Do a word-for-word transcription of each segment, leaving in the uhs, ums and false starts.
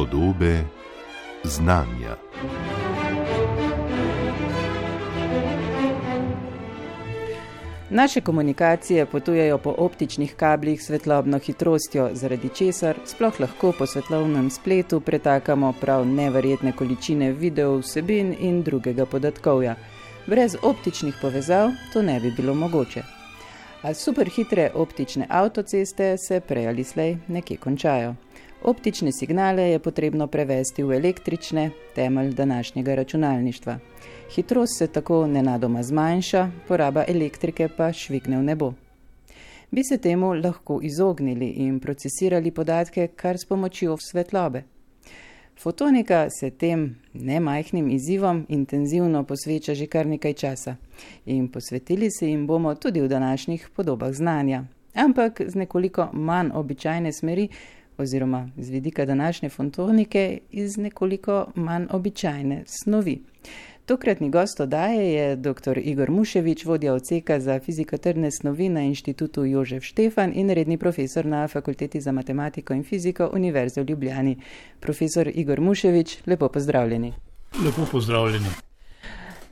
Podobe znanja. Naše komunikacije potujejo po optičnih kablih s svetlobno hitrostjo, zaradi česar sploh lahko po svetlobnem spletu pretakamo prav neverjetne količine video vsebin in drugega podatkovja. Brez optičnih povezav to ne bi bilo mogoče. A superhitre optične avtoceste se prej ali slej nekje končajo. Optične signale je potrebno prevesti v električne, temelj današnjega računalništva. Hitrost se tako nenadoma zmanjša, poraba elektrike pa švigne v nebo. Bi se temu lahko izognili in procesirali podatke kar s pomočjo svetlobe. Fotonika se tem nemajhnim izzivom intenzivno posveča že kar nekaj časa in posvetili se jim bomo tudi v današnjih podobah znanja, ampak z nekoliko manj običajne smeri oziroma z vidika današnje fotonike iz nekoliko manj običajne snovi. Tokratni gost oddaje je dr. Igor Muševič, vodja odseka za fiziko-trdne snovi na Inštitutu Jožef Štefan in redni profesor na Fakulteti za matematiko in fiziko Univerze v Ljubljani. Profesor Igor Muševič, lepo pozdravljeni. Lepo pozdravljeni.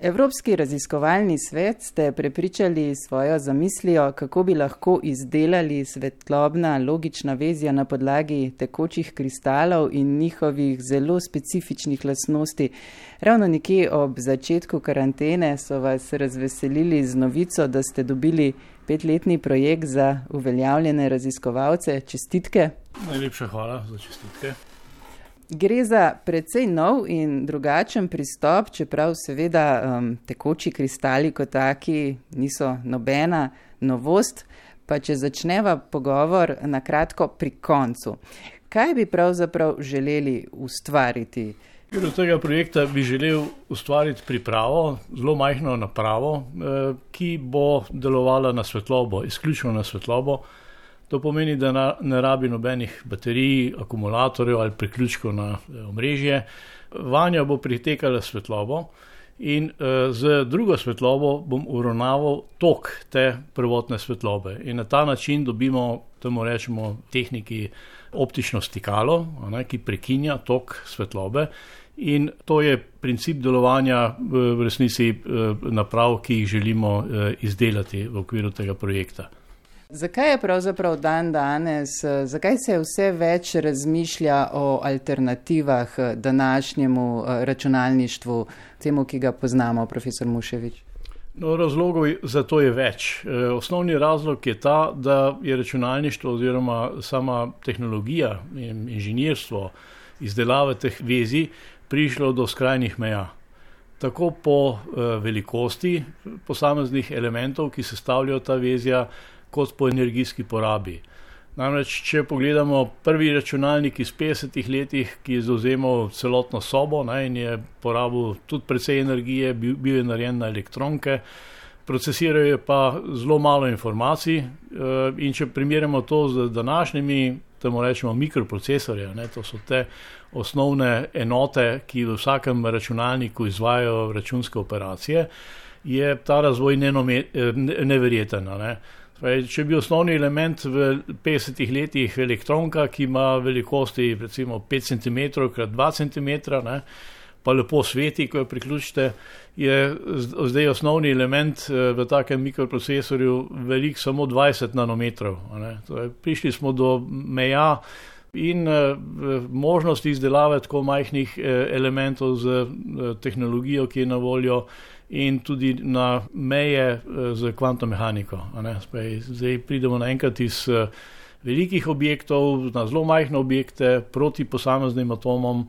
Evropski raziskovalni svet ste prepričali svojo zamislijo, kako bi lahko izdelali svetlobna logična vezja na podlagi tekočih kristalov in njihovih zelo specifičnih lastnosti. Ravno nekje ob začetku karantene so vas razveselili z novico, da ste dobili petletni projekt za uveljavljene raziskovalce. Čestitke. Najlepša hvala za čestitke. Gre za precej nov in drugačen pristop, čeprav seveda um, tekoči kristali kot taki niso nobena novost, pa če začneva pogovor na kratko pri koncu. Kaj bi pravzaprav želeli ustvariti? Do tega projekta bi želel ustvariti pripravo, zelo majhno napravo, ki bo delovala na svetlobo, izključno na svetlobo. To pomeni, da ne rabi nobenih baterij, akumulatorjev ali priključkov na omrežje. Vanjo bo pritekala svetlobo in z drugo svetlobo bom uravnaval tok te prvotne svetlobe. In na ta način dobimo, temu rečemo, tehniki optično stikalo, ki prekinja tok svetlobe. In to je princip delovanja v resnici naprav, ki jih želimo izdelati v okviru tega projekta. Zakaj je pravzaprav dan danes, zakaj se vse več razmišlja o alternativah današnjemu računalništvu, temu, ki ga poznamo, profesor Muševič? No, razlogov za to je več. Osnovni razlog je ta, da je računalništvo oziroma sama tehnologija in inženirstvo izdelave teh vezij prišlo do skrajnih meja. Tako po velikosti posameznih elementov, ki sestavljajo ta vezja, kot po energijski porabi. Namreč, če pogledamo prvi računalnik iz petdesetih letih, ki je zavzemal celotno sobo, ne, in je porabil tudi precej energije, bil, bil je narejen na elektronke, procesirajo pa zelo malo informacij in če primerjamo to z današnjimi, temu rečemo mikroprocesorje, ne, to so te osnovne enote, ki v vsakem računalniku izvajajo računske operacije, je ta razvoj neverjeten. Ne. Če bi osnovni element v petdesetih letih elektronka, ki ima velikosti recimo pet centimetrov krat dva centimetra, ne, pa lepo sveti, ko jo priključite, je zdaj osnovni element v takem mikroprocesorju velik samo dvajset nanometrov. Ne. Torej, prišli smo do meja in možnosti izdelave tako majhnih elementov z tehnologijo, ki je na voljo, in tudi na meje z kvantno mehaniko. Zdaj pridemo naenkrat iz velikih objektov na zelo majhne objekte proti posameznim atomom.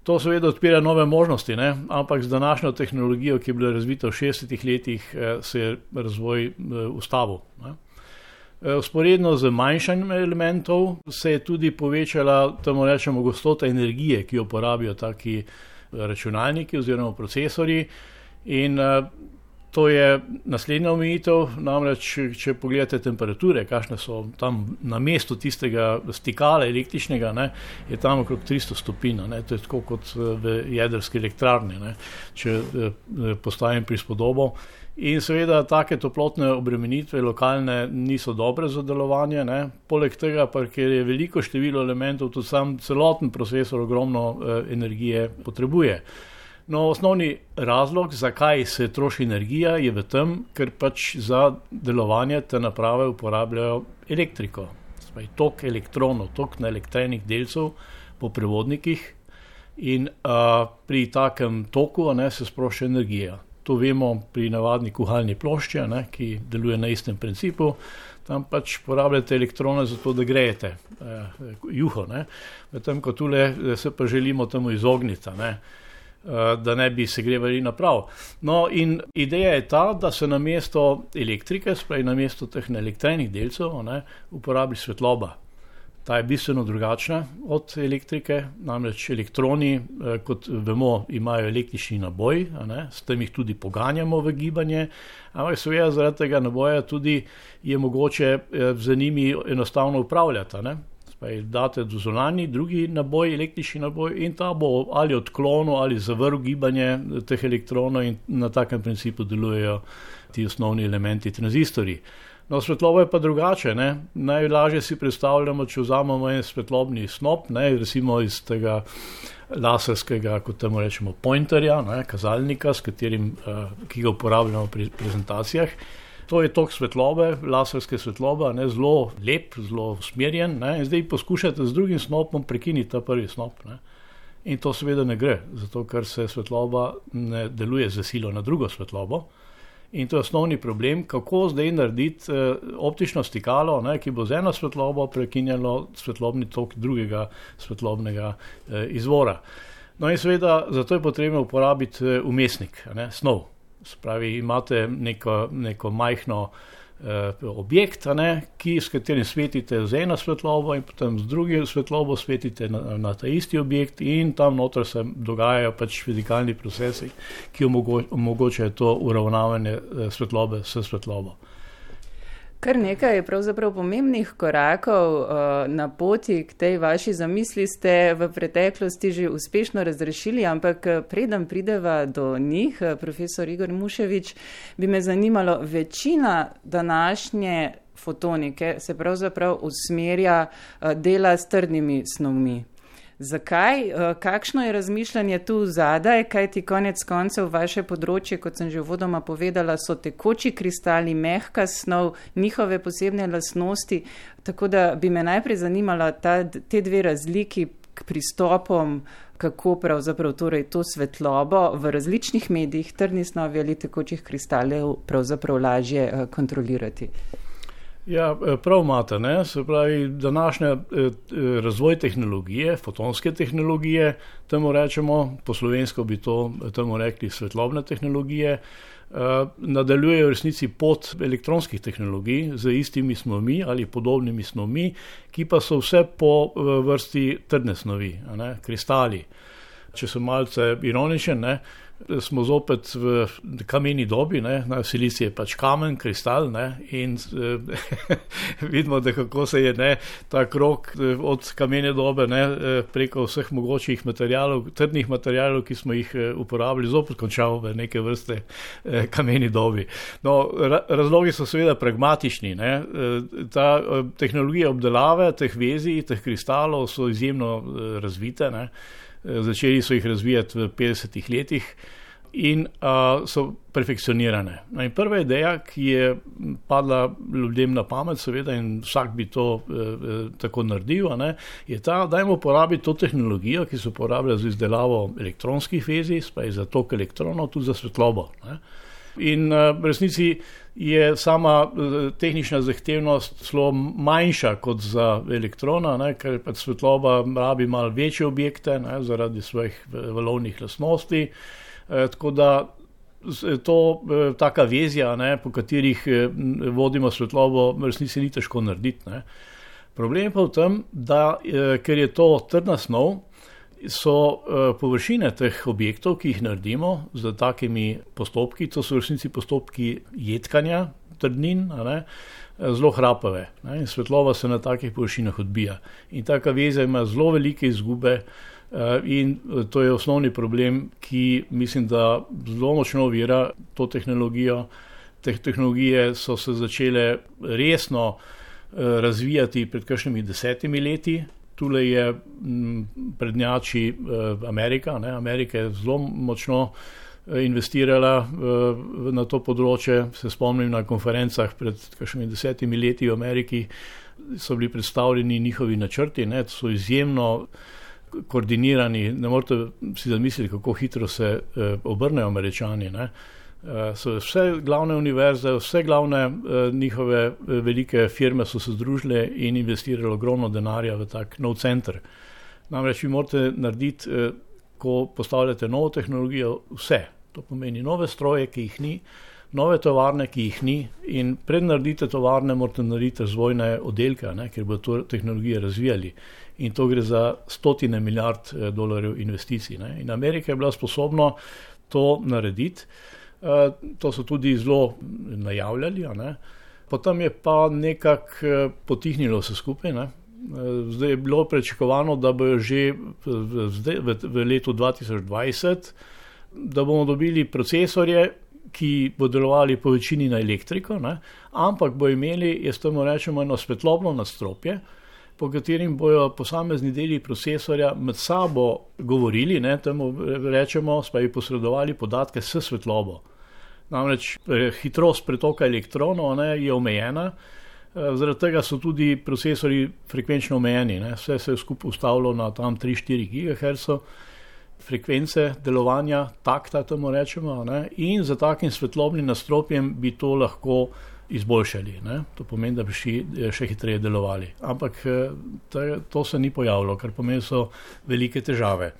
To seveda odpira nove možnosti, ne? Ampak z današnjo tehnologijo, ki je bila razvita v šestdesetih letih, se je razvoj ustavil. Vzporedno z manjšanjem elementov se je tudi povečala, temu rečemo, gostota energije, ki jo porabijo taki računalniki oziroma procesorji. In To je naslednja omejitev, namreč, če pogledate temperature, kakšne so tam na mestu tistega stikala električnega, ne, je tam okrog tristo stopinj, ne, to je tako kot v jedrski elektrarni, ne, če postavim prispodobo. In seveda take toplotne obremenitve lokalne niso dobre za delovanje, ne, poleg tega pa, ker je veliko število elementov, tudi sam celoten procesor ogromno eh, energije potrebuje. No, osnovni razlog, zakaj se troši energija, je v tem, ker pač za delovanje te naprave uporabljajo elektriko. Spaj, tok elektronov, tok naelektrenih delcev po prevodnikih in a, pri takem toku a ne, se sprošča energija. To vemo pri navadni kuhalni plošči, a ne, ki deluje na istem principu. Tam pač porabljate elektrone za to, da grejete eh, juho. Ne. V tem, ko tule se pa želimo temu izogniti, ne. Da ne bi segrevali naprav. No, in ideja je ta, da se namesto elektrike, spravi namesto teh elektrenih delcev, ne, uporabi svetloba. Ta je bistveno drugačna od elektrike, namreč elektroni, kot vemo, imajo električni naboj, a ne, s tem jih tudi poganjamo v gibanje, ampak seveda zaradi tega naboja tudi je mogoče z njimi enostavno upravljati, a ne. Date do zunanji, drugi naboj, električni naboj in ta bo ali odklonil ali zavrl gibanje teh elektronov in na takem principu delujejo ti osnovni elementi tranzistorji. No, svetloba je pa drugače, ne. Najlažje si predstavljamo, če vzamemo en svetlobni snop, ne, recimo iz tega laserskega, kot temu rečemo, pointerja, ne, kazalnika, s katerim, ki ga uporabljamo pri prezentacijah. To je tok svetlobe, laserske svetlobe, ne, zelo lep, zelo usmerjen, ne, in zdaj poskušate z drugim snopom prekiniti ta prvi snop. Ne. In to seveda ne gre, zato ker se svetloba ne deluje z silo na drugo svetlobo. In to je osnovni problem, kako zdaj narediti eh, optično stikalo, ne, ki bo z eno svetlobo prekinjalo svetlobni tok drugega svetlobnega eh, izvora. No in seveda zato je potrebno uporabiti eh, umestnik, ne, snov. Spravi, imate neko, neko majhno eh, objekt, a ne, ki, s katerim svetite z eno svetlobo in potem z drugo svetlobo svetite na, na ta isti objekt in tam noter se dogajajo pač fizikalni procesi, ki omogo, omogočajo to uravnavanje eh, svetlobe s svetlobo. Kar nekaj je pravzaprav pomembnih korakov uh, na poti k tej vaši zamisli ste v preteklosti že uspešno razrešili, ampak preden prideva do njih, profesor Igor Muševič, bi me zanimalo, večina današnje fotonike se pravzaprav usmerja uh, dela s trdnimi snovmi. Zakaj? Kakšno je razmišljanje tu zadaj, kajti konec koncev vaše področje, kot sem že uvodoma povedala, so tekoči kristali, mehka snov, njihove posebne lastnosti, tako da bi me najprej zanimala ta, te dve razliki k pristopom, kako pravzaprav torej to svetlobo v različnih medijih, trdni snovi ali tekočih kristalov pravzaprav lažje kontrolirati. Ja, prav imate, ne, se pravi, današnja razvoj tehnologije, fotonske tehnologije, temu rečemo, po slovensko bi to temu rekli svetlobne tehnologije, nadaljujejo v resnici pot elektronskih tehnologij z istimi snovmi ali podobnimi snovmi, ki pa so vse po vrsti trdne snovi, a ne, kristali. Če sem malce ironičen, ne, smo zopet v kameni dobi, ne, silicij je pač kamen, kristal, ne, in eh, vidimo, da kako se je, ne, ta krog od kamene dobe, ne, preko vseh mogočih materialov, trdnih materialov, ki smo jih uporabili, zopet končal v neke vrste eh, kameni dobi. No, ra- razlogi so seveda pragmatični, ne, ta eh, tehnologija obdelave teh vezij, teh kristalov so izjemno eh, razvite, ne. Začeli so jih razvijati v petdesetih letih in uh, so perfekcionirane. No, in prva ideja, ki je padla ljudem na pamet, seveda, in vsak bi to uh, tako naredil, ne, je ta, dajmo uporabiti to tehnologijo, ki se uporablja za izdelavo elektronskih vezij, spaj za tok elektronov, tudi za svetlobo. Ne. In uh, v resnici je sama tehnična zahtevnost zelo manjša kot za elektrona, ne, ker pač svetloba rabi malo večje objekte, ne, zaradi svojih valovnih lastnosti. E, tako da to e, taka vezja, ne, po katerih e, vodimo svetlobo, v resnici ni težko narediti. Ne. Problem je pa v tem, da e, ker je to trdna snov, so uh, površine teh objektov, ki jih naredimo z takimi postopki, to so v resnici postopki jedkanja trdnin, a ne, zelo hrapave. Ne, in svetloba se na takih površinah odbija. In taka veza ima zelo velike izgube uh, in to je osnovni problem, ki mislim, da zelo močno ovira to tehnologijo. Te tehnologije so se začele resno uh, razvijati pred kakšnimi desetimi leti. Tule je m, prednjači uh, Amerika. Ne? Amerika je zelo močno uh, investirala uh, na to področje. Se spomnim na konferencah pred kakšnimi desetimi leti v Ameriki so bili predstavljeni njihovi načrti, ne? So izjemno koordinirani. Ne morete si zamisliti, kako hitro se uh, obrnejo Američani, ne? Uh, so vse glavne univerze, vse glavne uh, njihove uh, velike firme so se združile in investirali ogromno denarja v tak nov center. Namreč vi morate narediti, uh, ko postavljate novo tehnologijo, vse. To pomeni nove stroje, ki jih ni, nove tovarne, ki jih ni, in pred naredite tovarne morate narediti razvojne oddelke, ne, ker bodo to tehnologije razvijali. In to gre za stotine milijard uh, dolarjev investicij. Ne. In Amerika je bila sposobna to narediti. Uh, to so tudi zelo najavljali, ne. Potem je pa nekako uh, potihnilo vse skupaj. Ne. Uh, zdaj je bilo pričakovano, da bojo že v, v, v letu dva tisoč dvajset, da bomo dobili procesorje, ki bodo delovali po večini na elektriko, ne, ampak bojo imeli, jaz temu rečemo, eno svetlobno nadstropje, po katerim bojo posamezni deli procesorja med sabo govorili, ne, temu rečemo, pa bi posredovali podatke s svetlobo. Namreč hitrost pretoka elektronov, ne, je omejena, zaradi tega so tudi procesori frekvenčno omejeni. Ne. Vse se je skupaj ustavilo na tam tri do štiri gigaherca frekvence delovanja, takta temu rečemo, ne, in za takim svetlobnim nadstropjem bi to lahko izboljšali. Ne. To pomeni, da bi še, še hitreje delovali. Ampak to, to se ni pojavilo, kar pomeni, so velike težave.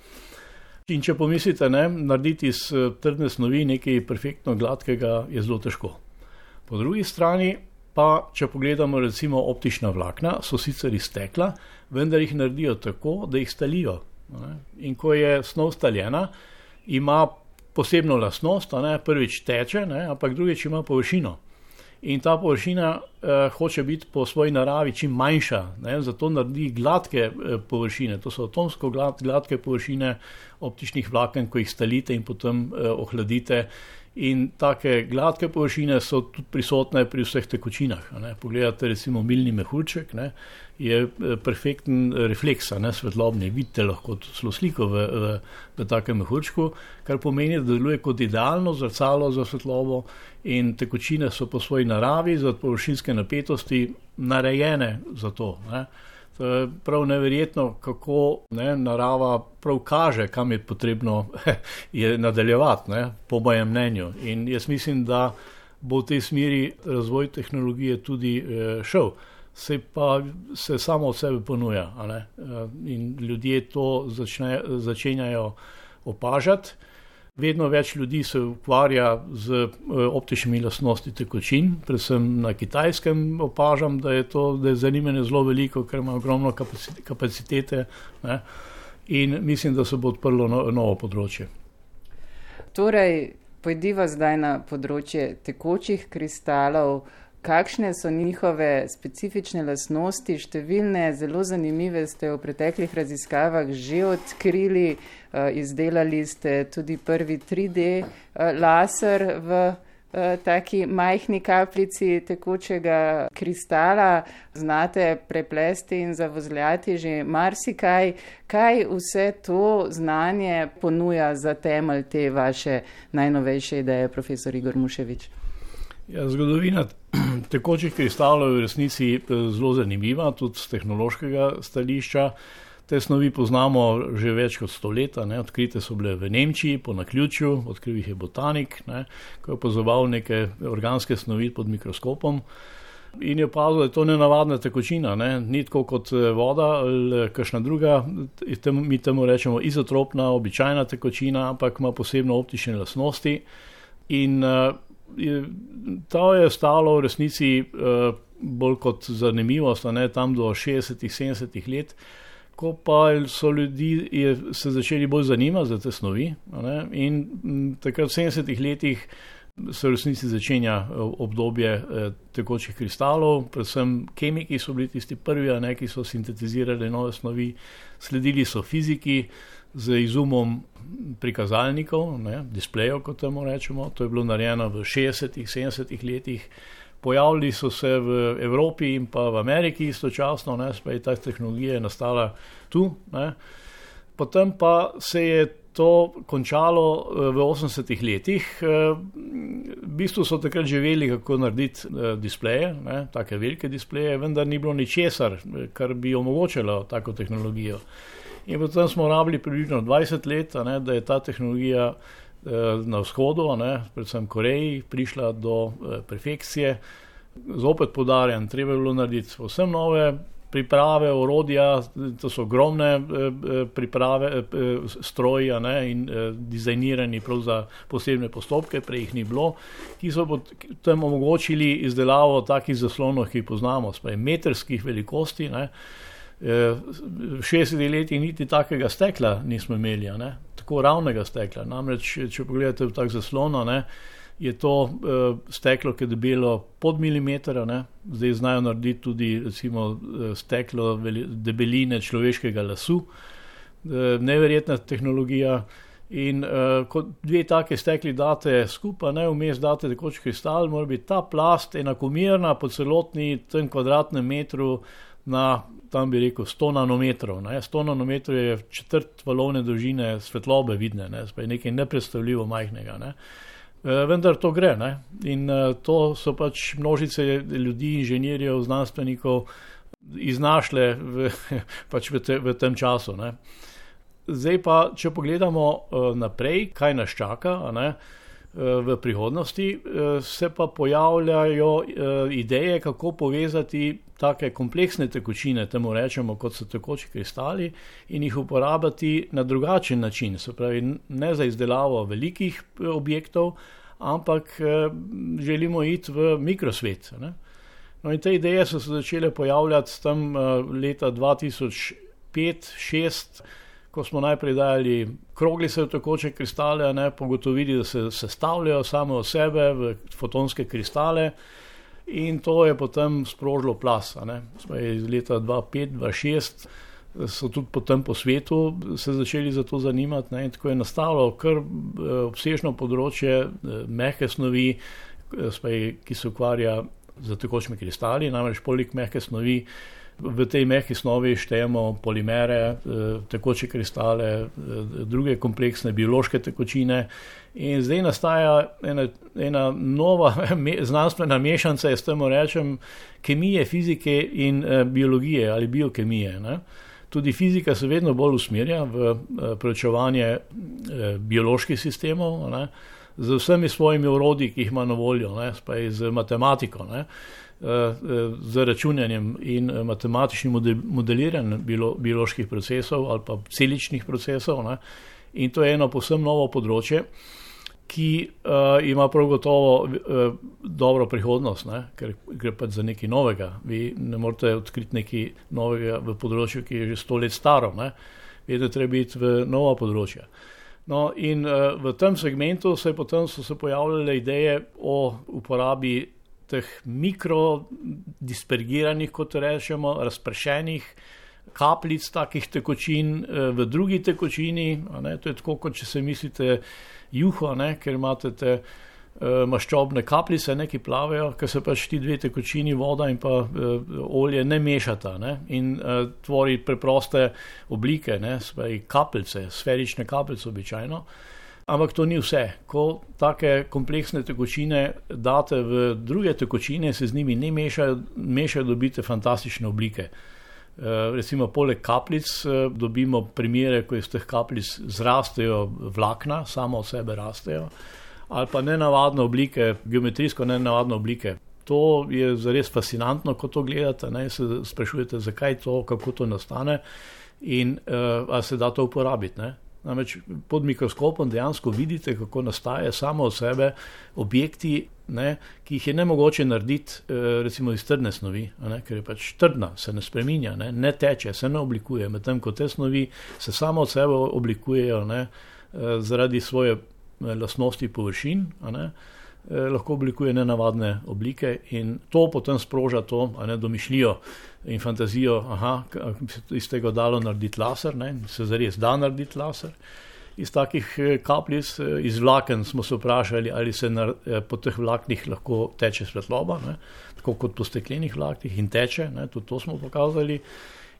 In če pomislite, ne, narediti iz trdne snovi nekaj perfektno gladkega je zelo težko. Po drugi strani pa, če pogledamo recimo optična vlakna, so sicer iz stekla, vendar jih naredijo tako, da jih stalijo. Ne. In ko je snov staljena, ima posebno lastnost, ne, prvič teče, ne, ampak drugič ima površino. In ta površina eh, hoče biti po svoji naravi čim manjša, ne, zato naredi gladke eh, površine. To so atomsko glad, gladke površine optičnih vlaken, ko jih stalite in potem eh, ohladite. In take gladke površine so tudi prisotne pri vseh tekočinah. Ne. Pogledate recimo milni mehurček, ne, je perfekten refleks, ne, svetlobni. Vidite lahko celo sliko v, v, v takem mehurčku, kar pomeni, da deluje kot idealno zrcalo za svetlobo in tekočine so po svoji naravi za površinske napetosti narejene za to. Ne. To je prav neverjetno, kako, ne, narava prav kaže, kam je potrebno je nadaljevati, ne, po mojem mnenju. In jaz mislim, da bo v tej smeri razvoj tehnologije tudi eh, šel. Se pa se samo od sebe ponuja. A ne? In ljudje to začne, začenjajo opažati. Vedno več ljudi se ukvarja z optičnimi lastnosti tekočin, predvsem na Kitajskem opažam, da je to, da je zanimanje zelo veliko, ker ima ogromno kapacitete, ne? In mislim, da se bo odprlo no, novo področje. Torej, pojdiva zdaj na področje tekočih kristalov. Kakšne so njihove specifične lastnosti? Številne zelo zanimive ste v preteklih raziskavah že odkrili, izdelali ste tudi prvi tri D laser v taki majhni kapljici tekočega kristala. Znate preplesti in zavozljati že marsikaj. Kaj vse to znanje ponuja za temelj te vaše najnovejše ideje, profesor Igor Muševič? Ja, zgodovina tekočih kristalov je v resnici zelo zanimiva, tudi z tehnološkega stališča. Te snovi poznamo že več kot sto let, ne. Odkrite so bile v Nemčiji po naključju, odkril jih je botanik, ne, ko je opazoval neke organske snovi pod mikroskopom in je opazil, da je to nenavadna tekočina, ne. Ni tako kot voda ali kakšna druga, mi temu rečemo izotropna, običajna tekočina, ampak ima posebno optične lastnosti. In Je, to je stalo v resnici uh, bolj kot zanimivost, ne, tam do šestdesetih, sedemdesetih let, Ko pa so ljudi je, se začeli bolj zanimati za te snovi, ne, in m, takrat v sedemdesetih letih se v resnici začenja obdobje eh, tekočih kristalov, predvsem kemiki so bili tisti prvi, ne, ki so sintetizirali nove snovi, sledili so fiziki z izumom prikazalnikov, ne, displejev, kot temu rečemo, to je bilo narejeno v šestdesetih, sedemdesetih letih. Pojavili so se v Evropi in pa v Ameriki istočasno, ne, spet ta tehnologija je nastala tu, ne. Potem pa se je to končalo v osemdesetih letih. V bistvu so takrat že vedeli, kako narediti displeje, ne, take velike displeje, vendar ni bilo ničesar, kar bi omogočilo tako tehnologijo. In potem smo rabili približno dvajset let, ne, da je ta tehnologija na vzhodu, ne, predvsem Koreji, prišla do perfekcije. Zopet poudarjam, treba je bilo narediti povsem nove priprave, orodja, to so ogromne priprave, stroji, ne, in dizajnirani prav za posebne postopke, prej jih ni bilo, ki so potem omogočili izdelavo takih zaslonov, ki jih poznamo, spaj metrskih velikosti, ne. V šestdesetih letih niti takega stekla nismo imeli, ne, tako ravnega stekla. Namreč, če pogledate v tak zaslon, ne, je to uh, steklo, ki je debelo pod milimeter, ne, zdaj znajo narediti tudi recimo steklo veli, debeline človeškega lasu, uh, neverjetna tehnologija. In uh, ko dve take stekli date skupaj, ne, vmes date tekoč kristal, mora biti ta plast enakomerna po celotni tem kvadratnem metru na, tam bi rekel, sto nanometrov. Ne. sto nanometrov je četrt valovne dolžine svetlobe vidne, ne, spaj nekaj nepredstavljivo majhnega. Ne. E, vendar to gre, ne. In e, to so pač množice ljudi, inženirjev, znanstvenikov iznašle v, pač v, te, v tem času. Ne. Zdaj pa, če pogledamo e, naprej, kaj nas čaka, ne, v prihodnosti, se pa pojavljajo ideje, kako povezati take kompleksne tekočine, temu rečemo, kot so tekoči kristali, in jih uporabljati na drugačen način, se pravi ne za izdelavo velikih objektov, ampak želimo iti v mikrosvet. Ne? No in te ideje so se začele pojavljati tam leta dva tisoč pet šest, ko smo najprej dajali kroglice v tekoče kristale, ne, pogotovili, da se sestavljajo same od sebe v fotonske kristale, in to je potem sprožilo plas. Iz leta dva pet dva šest so tudi potem po svetu se začeli za to zanimati, ne, in tako je nastalo kar obsežno področje mehke snovi, spaj, ki se ukvarja z tekočimi kristali, namreč poleg mehke snovi v tej mehki snovi štejemo polimere, tekoče kristale, druge kompleksne biološke tekočine, in zdaj nastaja ena, ena nova znanstvena mešanca, jaz temu rečem, kemije, fizike in biologije ali biokemije. Ne. Tudi fizika se vedno bolj usmerja v preučevanje bioloških sistemov, ne, z vsemi svojimi orodji, ki jih ima na voljo, ne, spaj z matematiko, ne, z računanjem in matematičnim modeliranjem bioloških procesov ali pa celičnih procesov. Ne. In to je eno povsem novo področje, ki uh, ima prav gotovo uh, dobro prihodnost, ne, ker gre pač za nekaj novega. Vi ne morete odkriti nekaj novega v področju, ki je že sto let staro. Ne. Vedno treba iti v nova področja. No, in uh, v tem segmentu se potem so se pojavljale ideje o uporabi teh mikrodispergiranih, kot rečemo, razpršenih kapljic takih tekočin v drugi tekočini. Ne, to je tako, kot če se mislite juho, ne, ker imate te uh, maščobne kapljice, ne, ki plavejo, ker se pač ti dve tekočini, voda in pa uh, olje, ne mešata, ne, in uh, tvori preproste oblike, ne, spaj kapljice, sferične kapljice običajno. Ampak to ni vse. Ko take kompleksne tekočine date v druge tekočine, se z njimi ne mešajo, mešajo dobite fantastične oblike. E, recimo poleg kapljic dobimo primere, ko iz teh kapljic zrastejo vlakna, samo od sebe rastejo, ali pa nenavadne oblike, geometrijsko nenavadne oblike. To je zares fascinantno, ko to gledate, ne, se sprašujete, zakaj to, kako to nastane in uh, ali se da to uporabiti, ne. Namreč pod mikroskopom dejansko vidite, kako nastaje samo od sebe objekti, ne, ki jih je nemogoče narediti recimo iz trdne snovi, ne, ker je pač trdna, se ne spreminja, ne, ne teče, se ne oblikuje, medtem ko te snovi se samo od sebe oblikujejo, ne, zaradi svoje lastnosti površin, ne, lahko oblikuje nenavadne oblike in to potem sproža to, a ne, domišljijo in fantazijo, aha, iz tega dalo narediti laser, ne, se zares da narediti laser. Iz takih kapljic, iz vlaken smo se vprašali, ali se na, po teh vlaknih lahko teče svetloba, ne, tako kot po steklenih vlaknih in teče, ne, tudi to smo pokazali.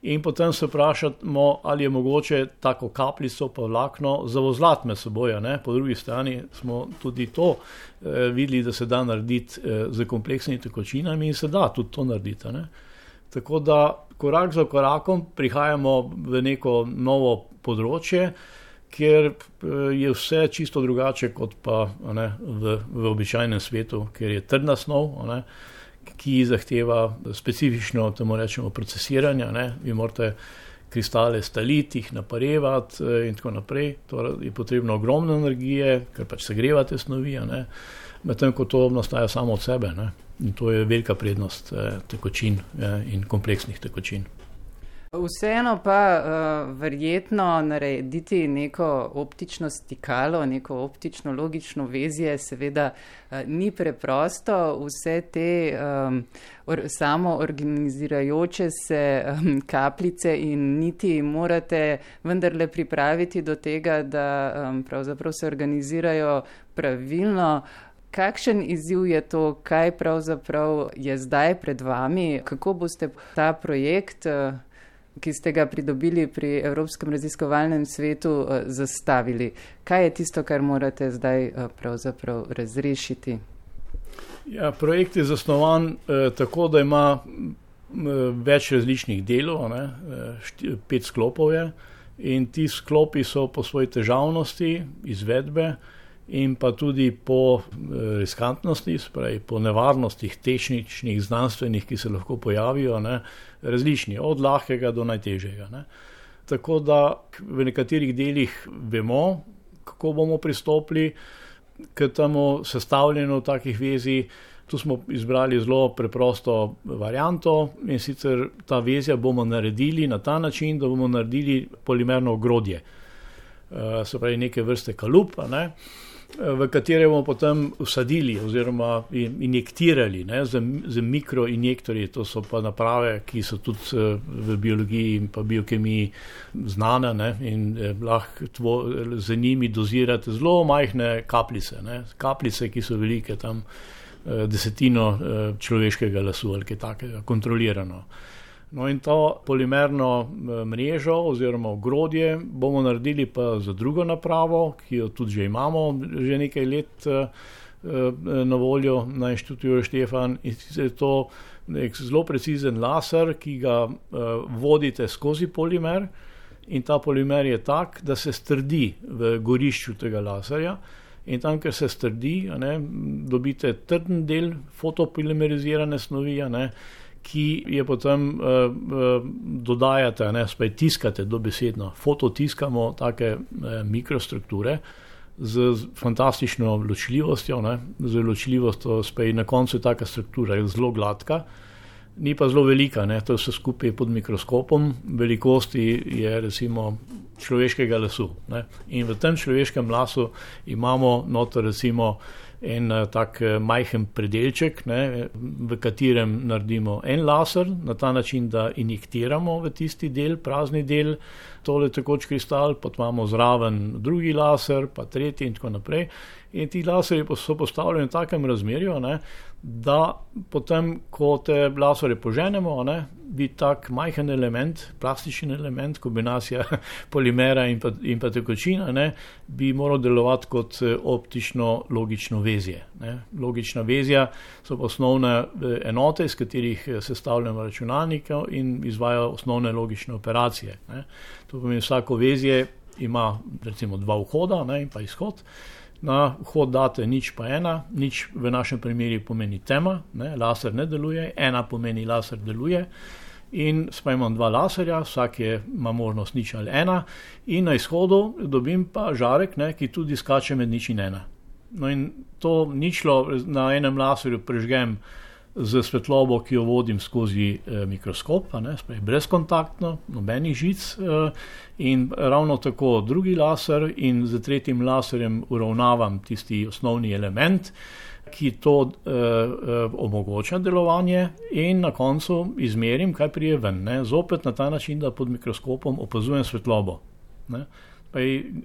In potem se vprašamo, ali je mogoče tako kapljico pa vlakno zavozlati med seboj, ne. Po drugi strani smo tudi to eh, videli, da se da narediti eh, z kompleksnimi tekočinami in se da tudi to narediti, ne. Tako da korak za korakom prihajamo v neko novo področje, kjer je vse čisto drugače kot pa, ne, v, v običajnem svetu, ker je trdna snov, ne, ki zahteva specifično, temu rečemo, procesiranje, ne. Vi morate kristale staliti, jih naparevati in tako naprej. To je potrebno ogromno energije, ker pač segrevate snovi, ne. Medtem ko to nastaja samo od sebe, ne. In to je velika prednost eh, tekočin eh, in kompleksnih tekočin. Vseeno pa uh, verjetno narediti neko optično stikalo, neko optično logično vezje seveda uh, ni preprosto. Vse te um, or, samo organizirajoče se um, kapljice in niti morate vendarle pripraviti do tega, da um, pravzaprav se organizirajo pravilno. Kakšen izziv je to, kaj pravzaprav je zdaj pred vami, kako boste ta projekt, ki ste ga pridobili pri Evropskem raziskovalnem svetu, zastavili? Kaj je tisto, kar morate zdaj pravzaprav razrešiti? Ja, projekt je zasnovan eh, tako, da ima eh, več različnih delov, ne, šti, pet sklopov je in ti sklopi so po svoji težavnosti, izvedbe in pa tudi po riskantnosti, spravi, po nevarnostih tehničnih, znanstvenih, ki se lahko pojavijo, ne, različni, od lahkega do najtežjega. Ne. Tako da v nekaterih delih vemo, kako bomo pristopili k temu sestavljanju takih vezij. Tu smo izbrali zelo preprosto varianto in sicer ta vezja bomo naredili na ta način, da bomo naredili polimerno ogrodje. Se pravi neke vrste kalup, ne, v katere bomo potem vsadili oziroma injektirali, ne, z, z mikroinjektorji, to so pa naprave, ki so tudi v biologiji in pa biokemiji znane, ne, in eh, lahko tvo, z njimi dozirate zelo majhne kapljice, ne, kapljice, ki so velike tam eh, desetino eh, človeškega lasu ali kaj takega, kontrolirano. No in to polimerno mrežo oziroma ogrodje bomo naredili pa za drugo napravo, ki jo tudi že imamo že nekaj let na voljo na Inštitutu Jožef Stefan. In je to nek zelo precizen laser, ki ga vodite skozi polimer in ta polimer je tak, da se strdi v gorišču tega laserja. In tam, ker se strdi, ne, dobite trden del fotopolimerizirane snovi, ne, ki je potem uh, uh, dodajate, ne, spaj tiskate dobesedno, fototiskamo take uh, mikrostrukture z, z fantastično ločljivostjo, ne, z ločljivostjo, spaj na koncu je taka struktura, je zelo gladka, ni pa zelo velika, ne, to vse skupaj pod mikroskopom, velikosti je recimo človeškega lasu, ne, in v tem človeškem lasu imamo noter recimo en tak majhen predelček, ne, v katerem naredimo en laser, na ta način, da injektiramo v tisti del, prazni del, tole tekoč kristal, pa imamo zraven drugi laser, pa tretji in tako naprej. In ti laserji so postavljeni v takem razmerju, ne, da potem, ko te laserje poženemo, ne, bi tak majhen element, plastičen element, kombinacija polimera in pa, in pa tekočina, ne, bi moral delovati kot optično logično vezje. Ne. Logična vezja so osnovne enote, iz katerih sestavljamo računalnike in izvajajo osnovne logične operacije. Ne. To pomeni, vsako vezje ima recimo dva vhoda, ne, in pa izhod. Na vhod date nič pa ena, nič v našem primeru pomeni tema, ne, laser ne deluje, ena pomeni laser deluje in spaj imam dva laserja, vsak je, ima možnost nič ali ena in na izhodu dobim pa žarek, ne, ki tudi skače med nič in ena. No in to ničlo na enem laserju prežgem z svetlobo, ki jo vodim skozi eh, mikroskop, ne, spaj brezkontaktno, nobenih žic eh, in ravno tako drugi laser in z tretjim laserjem uravnavam tisti osnovni element, ki to eh, eh, omogoča delovanje in na koncu izmerim, kaj prije ven. Ne? Zopet na ta način, da pod mikroskopom opazujem svetlobo. Ne?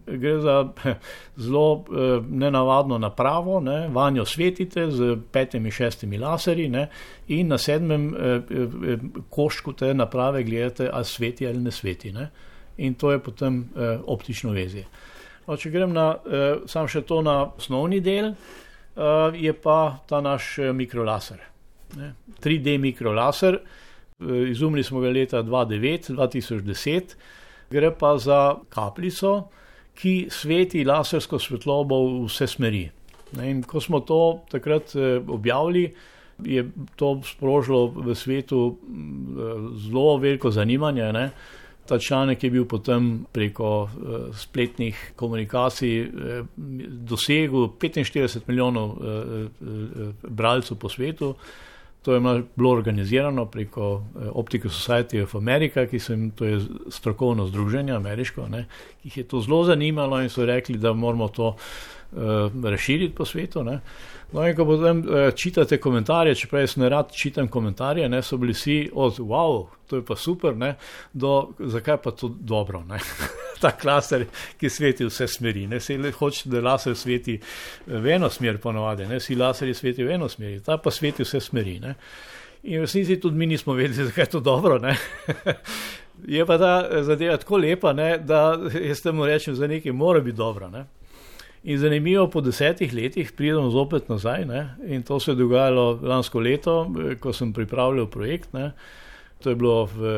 Gre za zelo eh, nenavadno napravo, ne? Vanjo svetite z petimi, šestimi laserji, ne? In na sedmem eh, eh, koščku te naprave gledate, ali sveti ali ne sveti. Ne? In to je potem eh, optično vezje. No, če grem na, eh, sam še to na osnovni del, Uh, je pa ta naš uh, mikrolaser. Ne? tri D mikrolaser, uh, izumili smo ga leta dva tisoč devet do dva tisoč deset, gre pa za kapljico, ki sveti lasersko svetlobo v vse smeri. Ne? In ko smo to takrat uh, objavili, je to sprožilo v svetu uh, zelo veliko zanimanje, ne? Ta članek je bil potem preko uh, spletnih komunikacij uh, dosegel petinštirideset milijonov uh, uh, bralcev po svetu. To je bilo organizirano preko uh, Optical Society of America, ki so jim, to je strokovno združenje ameriško, ne, ki jih je to zelo zanimalo in so rekli, da moramo to uh, razširiti po svetu. Ne. No in ko potem uh, čitate komentarje, čeprav jaz ne rad čitam komentarje, ne, so bili vsi od wow, to je pa super, ne, do zakaj pa to dobro, ne. Ta laser, ki sveti vse smeri, ne, se hoče, da laser sveti v eno smer ponovadi, ne, si laserji sveti v eno smeri, ta pa sveti vse smeri, ne. In v resnici tudi mi nismo vedeli, zakaj je to dobro, ne. Je pa ta zadeva tako lepa, ne, da jaz temu rečem, za nekaj mora biti dobro, ne. In zanimivo, po desetih letih pridem zopet nazaj, ne, in to se je dogajalo lansko leto, ko sem pripravljal projekt, ne. To je bilo v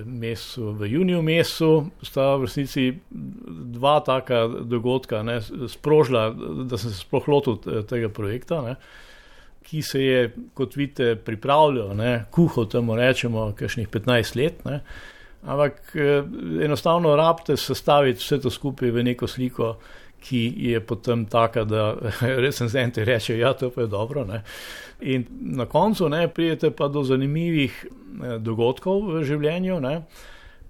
mesecu, v juniju mesecu, sta v resnici dva taka dogodka, ne, sprožila, da sem se sploh lotil tega projekta, ne, ki se je, kot vidite, pripravljal, ne, kuhal, temu rečemo, kakšnih petnajst let, ne, ampak enostavno rabite sestaviti vse to skupaj v neko sliko, ki je potem taka, da recenzenti reče, ja, to pa je dobro. Ne. In na koncu ne, pridete pa do zanimivih dogodkov v življenju. Ne.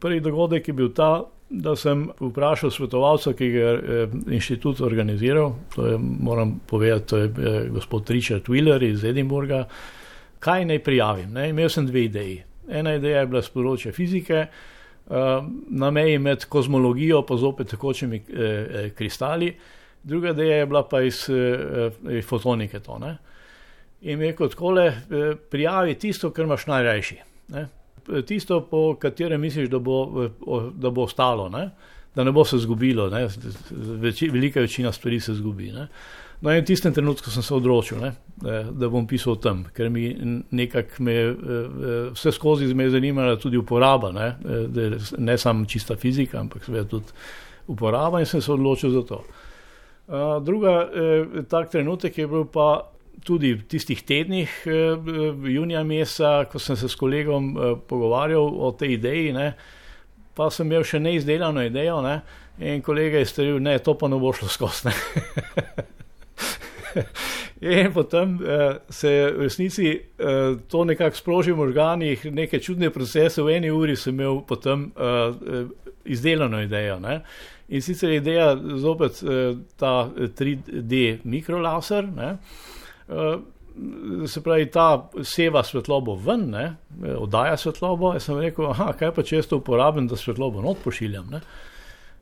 Prvi dogodek je bil ta, da sem vprašal svetovalca, ki ga je inštitut organiziral, to je, moram povedati, to je gospod Richard Wheeler iz Edinburga, kaj naj prijavim. Ne. Imel sem dve ideji. Ena ideja je bila z področja fizike, na meji med kozmologijo pa zopet tekočimi eh, kristali, druga ideja je bila pa iz eh, fotonike to. Ne? In mi je kot takole, eh, prijavi tisto, kar imaš najrajši. Ne? Tisto, po katerem misliš, da bo, da bo ostalo, ne? Da ne bo se zgubilo. Ne? Veči, velika večina stvari se zgubi. Ne? No in v tistem trenutku sem se odločil, ne? Da bom pisal o tem, ker mi nekako me, vse skozi me je zanimala tudi uporaba, ne, ne samo čista fizika, ampak seveda tudi uporaba in sem se odločil za to. Druga, tak trenutek je bil pa tudi v tistih tednih junija meseca, ko sem se s kolegom pogovarjal o tej ideji, ne, pa sem imel še neizdelano idejo, ne, in kolega je storil, ne, to pa ne bo šlo skozi, ne. In potem eh, se v resnici eh, to nekako sproži v možganih, neke čudne procese, v eni uri sem imel potem eh, izdelano idejo. Ne? In sicer ideja zopet eh, ta tri D mikrolaser, ne? Eh, se pravi, ta seva svetlobo ven, ne? Oddaja svetlobo, jaz sem rekel, aha, kaj pa če jaz to uporabim, da svetlobo not pošiljam, ne?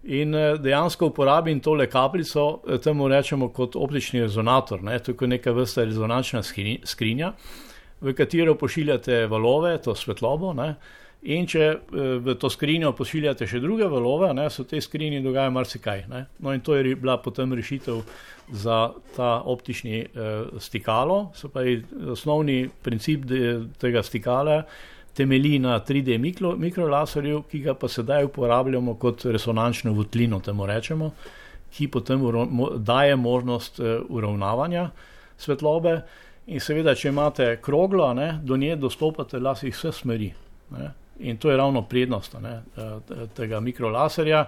In dejansko uporabim tole kapljico, temu rečemo kot optični rezonator, ne? To je neka vrsta rezonančna skrinja, v katero pošiljate valove, to svetlobo, ne? In če v to skrinjo pošiljate še druge valove, ne, se v tej skrinji dogaja marsikaj. Ne. No in to je bila potem rešitev za ta optični eh, stikalo. Se pravi, osnovni princip de, tega stikala temelji na tri D mikro, mikrolaserju, ki ga pa sedaj uporabljamo kot resonančno votlino, temu rečemo, ki potem uro, mo, daje možnost eh, uravnavanja svetlobe. In seveda, če imate kroglo, ne, do nje dostopate lasih vse smeri. Ne. In to je ravno prednost ne, tega mikrolaserja.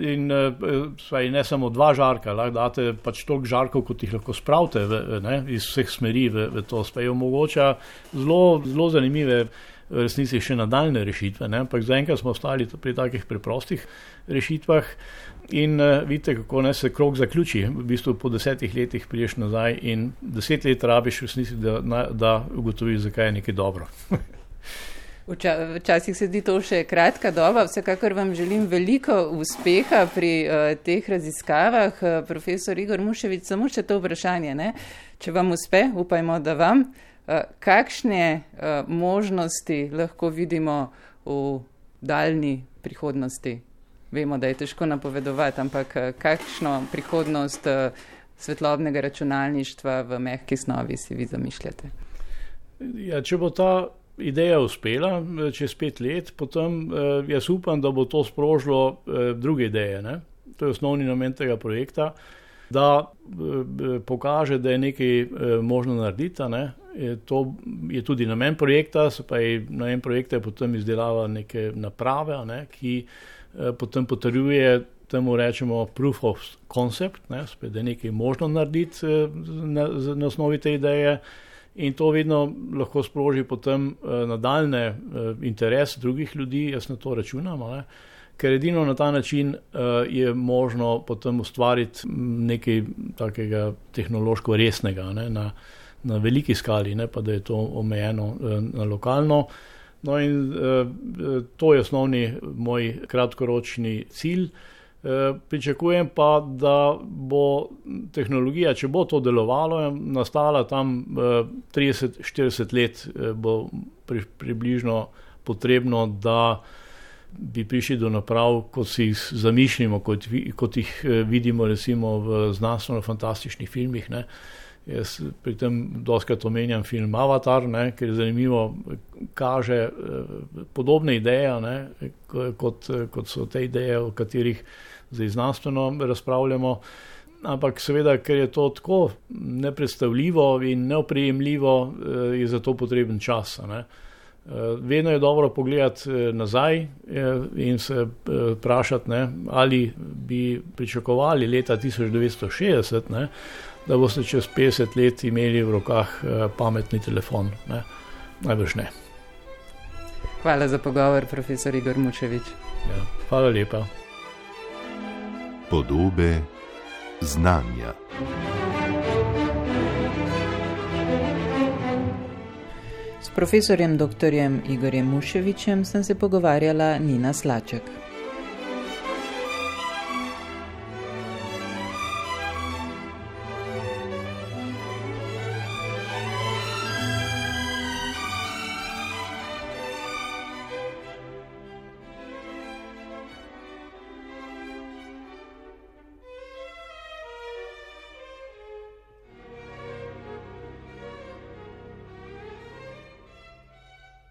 In ne samo dva žarka, lahko date pač toliko žarkov, kot jih lahko spravite ne, iz vseh smeri v, v to. Spaj omogoča zelo, zelo zanimive v resnici še nadaljne rešitve, ne, ampak zaenkrat smo ostali pri takih preprostih rešitvah in uh, vidite, kako ne se krog zaključi. V bistvu po desetih letih priješ nazaj in deset let rabiš v resnici, da, da ugotoviš, zakaj je nekaj dobro. Včasih se zdi to še kratka doba, vsekakor vam želim veliko uspeha pri uh, teh raziskavah. Uh, profesor Igor Muševič, samo še to vprašanje, ne? Če vam uspe, upajmo, da vam, uh, kakšne uh, možnosti lahko vidimo v daljni prihodnosti? Vemo, da je težko napovedovati, ampak uh, kakšno prihodnost uh, svetlobnega računalništva v mehki snovi si vi zamišljate? Ja, če bo ta ideja uspela čez pet let, potem eh, jaz upam, da bo to sprožilo eh, druge ideje. Ne? To je osnovni namen tega projekta, da eh, pokaže, da je nekaj eh, možno narediti. Ne? Je, to je tudi namen projekta, se pa je namen projekta je potem izdelava neke naprave, ne? Ki eh, potem potrjuje, temu rečemo proof of concept, ne? Spet, da je nekaj možno narediti eh, na, na osnovi te ideje. In to vedno lahko sproži potem uh, nadaljne uh, interes drugih ljudi, jaz na to računam, ne? Ker edino na ta način uh, je možno potem ustvariti nekaj takega tehnološko resnega, ne? Na, na veliki skali, ne pa da je to omejeno uh, na lokalno. No in uh, to je osnovni moj kratkoročni cilj. E, pričakujem pa, da bo tehnologija, če bo to delovalo, nastala tam e, trideset do štirideset let e, bo pri, približno potrebno, da bi prišli do naprav, kot si jih zamišljamo, kot, kot jih vidimo recimo v znanstveno-fantastičnih filmih. Ne. Jaz pri tem dostikrat omenjam film Avatar, ne, ker je zanimivo, kaže e, podobne ideje, ne, kot, kot so te ideje, o katerih zdaj znanstveno razpravljamo, ampak seveda, ker je to tako nepredstavljivo in neoprijemljivo, je za to potreben čas. Ne. Vedno je dobro pogledati nazaj in se vprašati, ne, ali bi pričakovali leta tisoč devetsto šestdeset, ne, da boste čez petdeset let imeli v rokah pametni telefon. Ne. Najbrž ne. Hvala za pogovor, profesor Igor Muševič. Ja, hvala lepa. Podobe znanja. S profesorjem doktorjem Igorjem Muševičem sem se pogovarjala Nina Slaček.